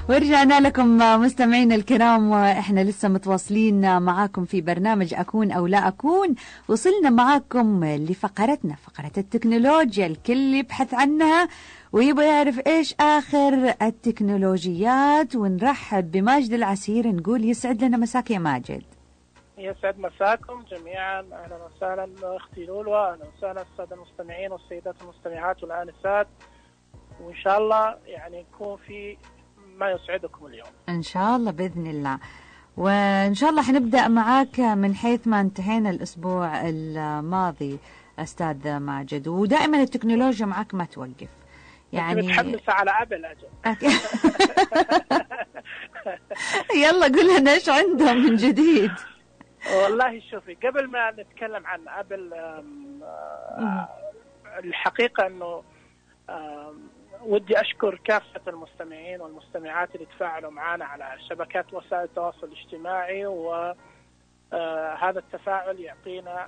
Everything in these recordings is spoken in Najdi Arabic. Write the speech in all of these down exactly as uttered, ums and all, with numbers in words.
ورجعنا لكم مستمعينا الكرام، واحنا لسه متواصلين معاكم في برنامج أكون أو لا أكون. وصلنا معاكم لفقرتنا، فقرة التكنولوجيا. الكل يبحث عنها ويبغى يعرف إيش آخر التكنولوجيات. ونرحب بماجد العسير، نقول يسعد لنا مساك يا ماجد. يسعد مساكم جميعا، أهلا وسهلا أختي لولو، أهلا وسهلا السادة المستمعين والسيدات المستمعات والآنسات، وإن شاء الله يعني يكون في ما يسعدكم اليوم إن شاء الله بإذن الله. وإن شاء الله حنبدأ معاك من حيث ما انتهينا الأسبوع الماضي أستاذ ماجد، ودائما التكنولوجيا معك ما توقف. يعني متحمسة على أبل أجل. يلا قول لنا إيش عندهم من جديد. والله شوفي، قبل ما نتكلم عن أبل الحقيقة أنه ودي أشكر كافة المستمعين والمستمعات اللي تفاعلوا معنا على شبكات وسائل التواصل الاجتماعي، وهذا التفاعل يعطينا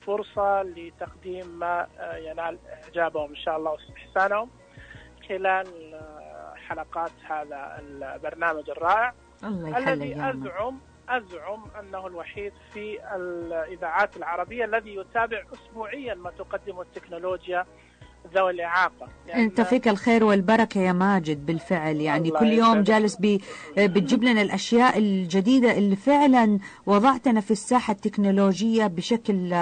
فرصة لتقديم ما ينال إعجابهم إن شاء الله واستحسانهم خلال حلقات هذا البرنامج الرائع الذي أزعم أزعم أنه الوحيد في الإذاعات العربية الذي يتابع أسبوعيا ما تقدمه التكنولوجيا ذوي الإعاقة. يعني أنت فيك الخير والبركة يا ماجد بالفعل، يعني كل يوم جالس بي بتجيب لنا الأشياء الجديدة اللي فعلا وضعتنا في الساحة التكنولوجية بشكل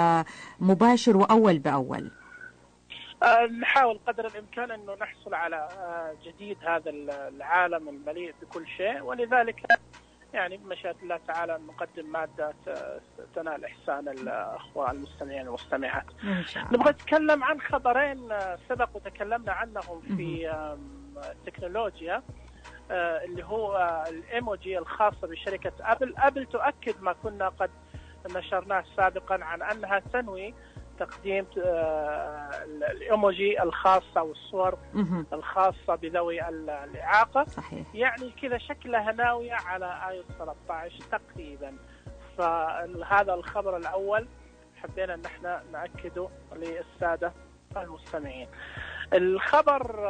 مباشر وأول بأول. أه نحاول قدر الإمكان أنه نحصل على جديد هذا العالم المليء بكل شيء، ولذلك يعني بمشيئة الله تعالى نقدم مادة تنال إحسان الأخوة المستمعين والمستمعات. نبغى نتكلم عن خبرين سبق وتكلمنا عنهم في التكنولوجيا، اللي هو الإيموجي الخاصة بشركة أبل. أبل تؤكد ما كنا قد نشرناه سابقا عن أنها تنوي تقديم الإيموجي الخاصة والصور الخاصة بذوي الإعاقة. صحيح. يعني كذا شكلها ناوية على آيو ثلاثة عشر تقريبا. فهذا الخبر الأول حبينا أن احنا نأكده للسادة المستمعين. الخبر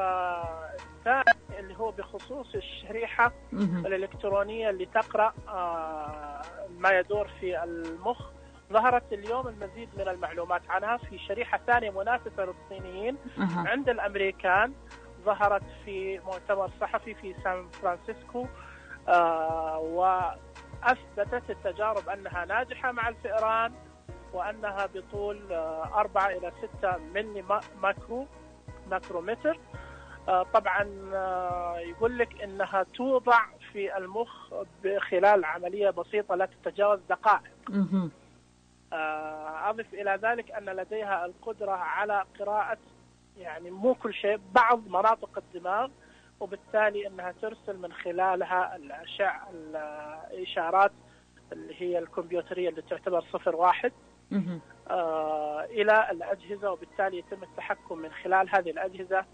الثاني اللي هو بخصوص الشريحة الإلكترونية اللي تقرأ ما يدور في المخ. ظهرت اليوم المزيد من المعلومات عنها في شريحة ثانية منافسة للصينيين أه. عند الأمريكان. ظهرت في مؤتمر صحفي في سان فرانسيسكو، آه وأثبتت التجارب أنها ناجحة مع الفئران، وأنها بطول آه أربعة إلى ستة ملي ماكرو ماكرومتر. آه طبعا آه يقول لك أنها توضع في المخ خلال عملية بسيطة لا تتجاوز دقائق. أه. أضف إلى ذلك أن لديها القدرة على قراءة يعني مو كل شيء، بعض مناطق الدماغ، وبالتالي أنها ترسل من خلالها الأشعة الإشارات اللي هي الكمبيوترية اللي تعتبر صفر واحد آه إلى الأجهزة، وبالتالي يتم التحكم من خلال هذه الأجهزة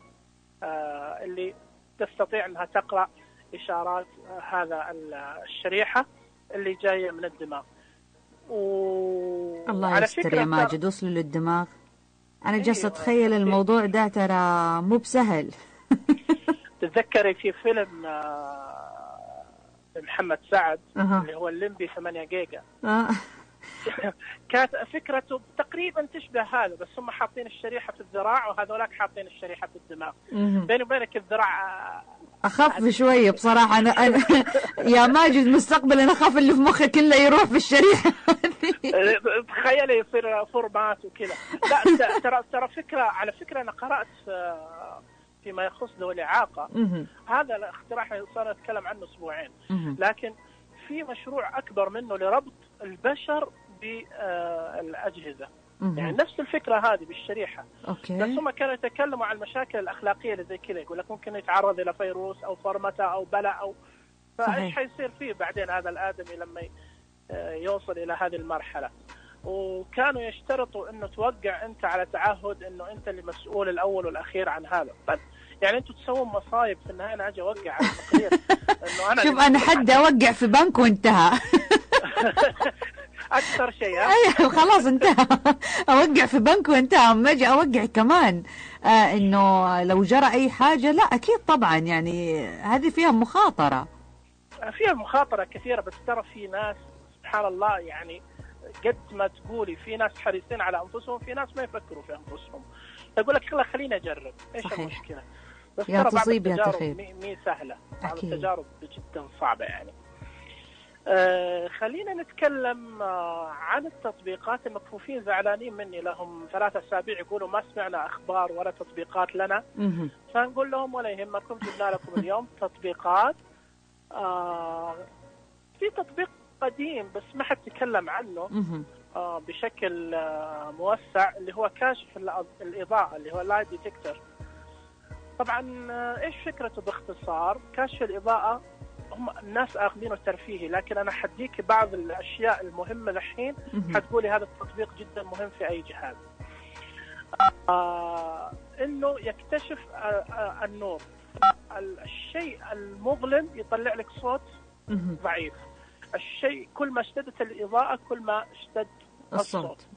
آه اللي تستطيع أنها تقرأ إشارات آه هذا الشريحة اللي جاية من الدماغ. و... الله يستر يا ماجد، وصلوا للدماغ. أنا جالسة أتخيل الموضوع ده ترى مو بسهل. تتذكري في فيلم محمد سعد أه. اللي هو الليمبي ثمانية جيجا أه. كانت فكرته تقريبا تشبه هذا، بس هم حاطين الشريحة في الذراع وهذولاك حاطين الشريحة في الدماغ. بيني وبينك الذراع أخاف شوية بصراحة. أنا, أنا يا ماجد مستقبل أنا أخاف اللي في مخي كله يروح في الشريحة. تخيلي يصير فورمات وكذا. لا ترى ترى فكرة على فكرة أنا قرأت فيما يخص ذوي الإعاقة. هذا الاختراع صار نتكلم عنه أسبوعين، لكن في مشروع أكبر منه لربط البشر بالأجهزة. يعني نفس الفكرة هذه بالشريحة. أوكي. بس هم كانوا يتكلموا عن المشاكل الأخلاقية اللي زي كذا، يقول لك ممكن يتعرض إلى فيروس أو فرمتة أو بلاء أو فإيش حيصير فيه بعدين هذا الآدمي لما يوصل إلى هذه المرحلة. وكانوا يشترطوا إنه توقع أنت على تعهد إنه أنت اللي مسؤول الأول والأخير عن هذا. طيب يعني أنتوا تسوون مصايب في النهاية، أنا أجي أوقع على التقرير إنه أنا شوف أنا حد أوقع في بنك وانتهى. اكثر شيء. ايوه خلاص انتهى. اوقع في بنك وانتهى، اما اجي اوقع كمان آه انه لو جرى اي حاجه، لا اكيد طبعا يعني هذه فيها مخاطره. فيها مخاطره كثيره، بس ترى في ناس سبحان الله يعني قد ما تقولي في ناس حريصين على انفسهم، في ناس ما يفكروا في انفسهم، يقول لك يلا خليني اجرب، ايش صحيح. المشكله؟ بس يا ترى بعض تصيب يا التجارب تخيب. مي, مي سهله، بعض أكيد. التجارب جدا صعبه يعني. آه خلينا نتكلم آه عن التطبيقات. المكفوفين زعلانين مني، لهم ثلاثة أسابيع يقولوا ما سمعنا أخبار ولا تطبيقات لنا. مهم. فنقول لهم ولا يهمكم، جبنا لكم اليوم تطبيقات. آه في تطبيق قديم بس ما حد تكلم عنه مهم. آه بشكل آه موسع، اللي هو كاشف الأ- الإضاءة، اللي هو لايت ديتكتور. طبعا آه إيش فكرته باختصار؟ كاشف الإضاءة هم الناس آخذينه ترفيهي، لكن أنا حديك بعض الأشياء المهمة الحين، مهم. حتقولي هذا التطبيق جدا مهم في أي جهاز. آه إنه يكتشف آه آه النور. الشيء المظلم يطلع لك صوت مهم. ضعيف، الشيء كل ما اشتدت الإضاءة كل ما اشتد الصوت. الصوت.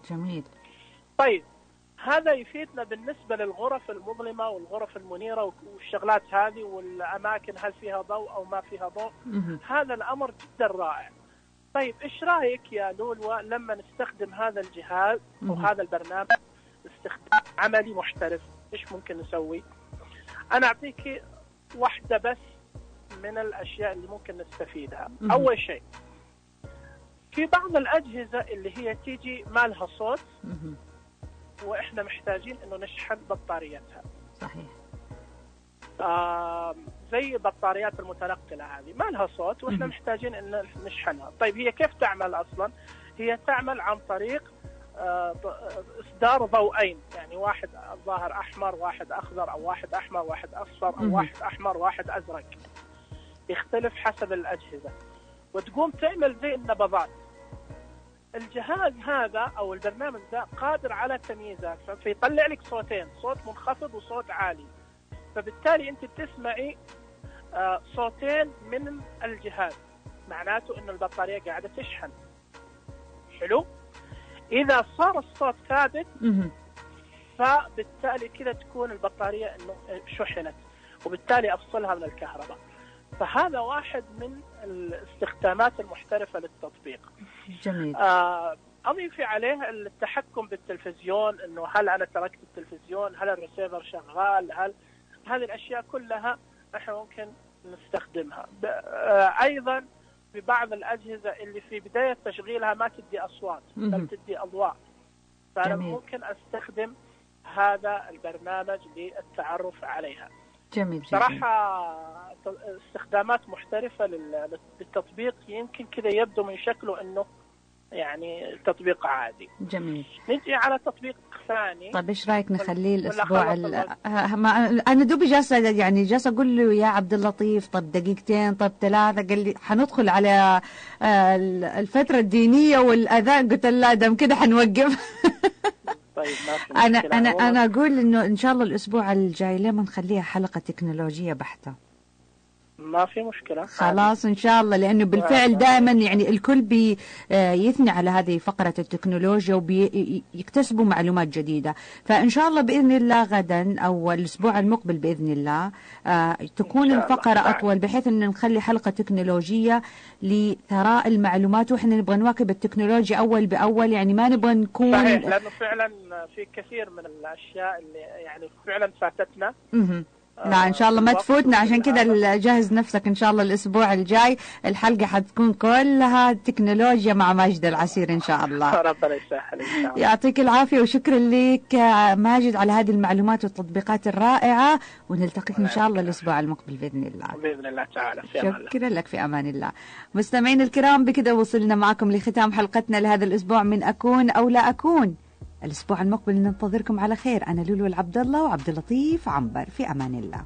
جميل. طيب هذا يفيدنا بالنسبة للغرف المظلمة والغرف المنيرة والشغلات هذه، والأماكن هل فيها ضوء أو ما فيها ضوء. مهم. هذا الأمر جدا رائع. طيب إيش رأيك يا لولو لما نستخدم هذا الجهاز مهم. وهذا البرنامج استخدام عملي محترف؟ إيش ممكن نسوي؟ أنا أعطيك واحدة بس من الأشياء اللي ممكن نستفيدها. مهم. أول شيء، في بعض الأجهزة اللي هي تيجي ما لها صوت مهم. وإحنا محتاجين إنه نشحن بطاريتها. صحيح. آه زي بطاريات المتنقلة هذه ما لها صوت وإحنا مهم. محتاجين إن نشحنها. طيب هي كيف تعمل أصلا؟ هي تعمل عن طريق آه إصدار ضوئين، يعني واحد ظاهر أحمر واحد أخضر، أو واحد أحمر واحد أصفر، أو مهم. واحد أحمر واحد أزرق، يختلف حسب الأجهزة، وتقوم تعمل زي النبضات. الجهاز هذا أو البرنامج ذا قادر على تمييزات، فيطلع لك صوتين، صوت منخفض وصوت عالي، فبالتالي أنت بتسمعي آه صوتين من الجهاز، معناته إن البطارية قاعدة تشحن. حلو؟ إذا صار الصوت ثابت مهم. فبالتالي كذا تكون البطارية إنه شحنت، وبالتالي أفصلها من الكهرباء. فهذا واحد من الاستخدامات المحترفة للتطبيق. جميل. آه أضيف عليه التحكم بالتلفزيون، إنه هل أنا تركت التلفزيون، هل الريسيفر شغال، هل هذه الأشياء كلها إحنا ممكن نستخدمها. آه أيضا ببعض الأجهزة اللي في بداية تشغيلها ما تدي أصوات بل تدي أضواء، فأنا جميل. ممكن أستخدم هذا البرنامج للتعرف عليها. جميل. صراحة استخدامات محترفة للتطبيق، يمكن كذا يبدو من شكله أنه يعني تطبيق عادي. جميل. نجي على تطبيق ثاني. طيب ايش رايك نخليه ولا الاسبوع خلص ال... الوقت؟ ه- ما... انا دوبي جالسه يعني جالسه اقول له يا عبد اللطيف طب دقيقتين طب ثلاثه، قال لي حندخل على آه، الفتره الدينيه والاذان، قلت له لا دام كده حنوقف. طيب ما في انا مشكلة. انا هو- انا اقول انه ان شاء الله الاسبوع الجاي لما نخليها حلقه تكنولوجيه بحته. ما في مشكلة. خلاص ان شاء الله، لانه بالفعل دائما يعني الكل بيثني على هذه فقره التكنولوجيا وبيكتسبوا معلومات جديده، فان شاء الله باذن الله غدا او الاسبوع المقبل باذن الله آه تكون الفقره اطول، بحيث ان نخلي حلقه تكنولوجيه لثراء المعلومات، واحنا نبغى نواكب التكنولوجيا اول باول، يعني ما نبغى نكون صحيح، لانه فعلا في كثير من الاشياء اللي يعني فعلا فاتتنا. مه. لا ان شاء الله ما تفوتنا، عشان كذا جهز نفسك ان شاء الله الاسبوع الجاي الحلقه حتكون كلها تكنولوجيا مع ماجد العسير ان شاء الله. ربنا يسهل ان شاء الله. يعطيك العافيه وشكرا لك ماجد على هذه المعلومات والتطبيقات الرائعه، ونلتقيك ان شاء الله الاسبوع المقبل باذن الله. باذن الله تعالى. في امان الله. شكرا لك، في امان الله. مستمعين الكرام بكذا وصلنا معكم لختام حلقتنا لهذا الاسبوع من اكون او لا اكون. الاسبوع المقبل ننتظركم على خير. انا لولو العبد الله وعبد اللطيف عنبر، في امان الله.